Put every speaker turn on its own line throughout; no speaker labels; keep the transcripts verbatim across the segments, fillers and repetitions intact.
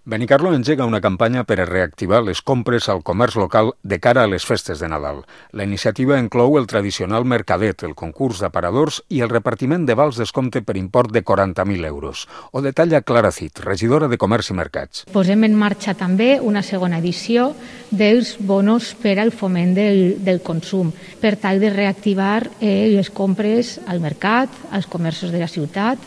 Benicarló engega una campanya per a reactivar les compres al comerç local de cara a les festes de Nadal. La iniciativa inclou el tradicional mercadet, el concurs d'aparadors i el repartiment de vals descompte per import de quaranta mil euros. Ho detalla Clara Cid, regidora de Comerç i Mercats.
Posem en marxa també una segona edició dels bonos per al foment del, del consum, per tal de reactivar eh, les compres al mercat, als comerços de la ciutat,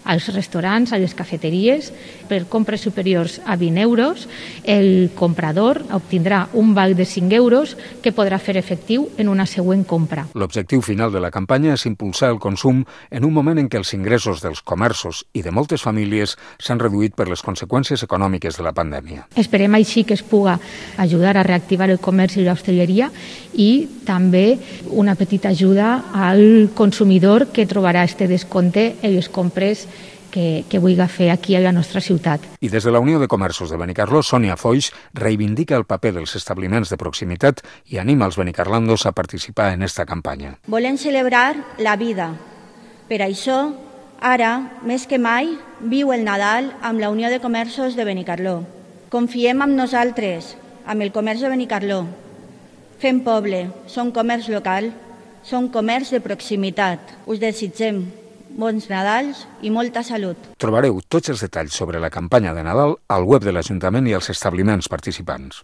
als restaurants, a les cafeteries. Per compres superiors a vint euros, el comprador obtindrà un val de cinc euros que podrà fer efectiu en una següent compra.
L'objectiu final de la campanya és impulsar el consum en un moment en què els ingressos dels comerços i de moltes famílies s'han reduït per les conseqüències econòmiques de la pandèmia.
Esperem així que es puga ajudar a reactivar el comerç i l'hostaleria i també una petita ajuda al consumidor que trobarà este descompte en les compres que, que vulgui fer aquí a la nostra ciutat.
I des de la Unió de Comerços de Benicarló, Sònia Foix reivindica el paper dels establiments de proximitat i anima els benicarlandos a participar en esta campanya.
Volem celebrar la vida. Per això, ara, més que mai, viu el Nadal amb la Unió de Comerços de Benicarló. Confiem en nosaltres, amb el comerç de Benicarló. Fem poble, som comerç local, som comerç de proximitat. Us desitgem bons Nadals i molta salut.
Trobareu tots els detalls sobre la campanya de Nadal al web de l'Ajuntament i als establiments participants.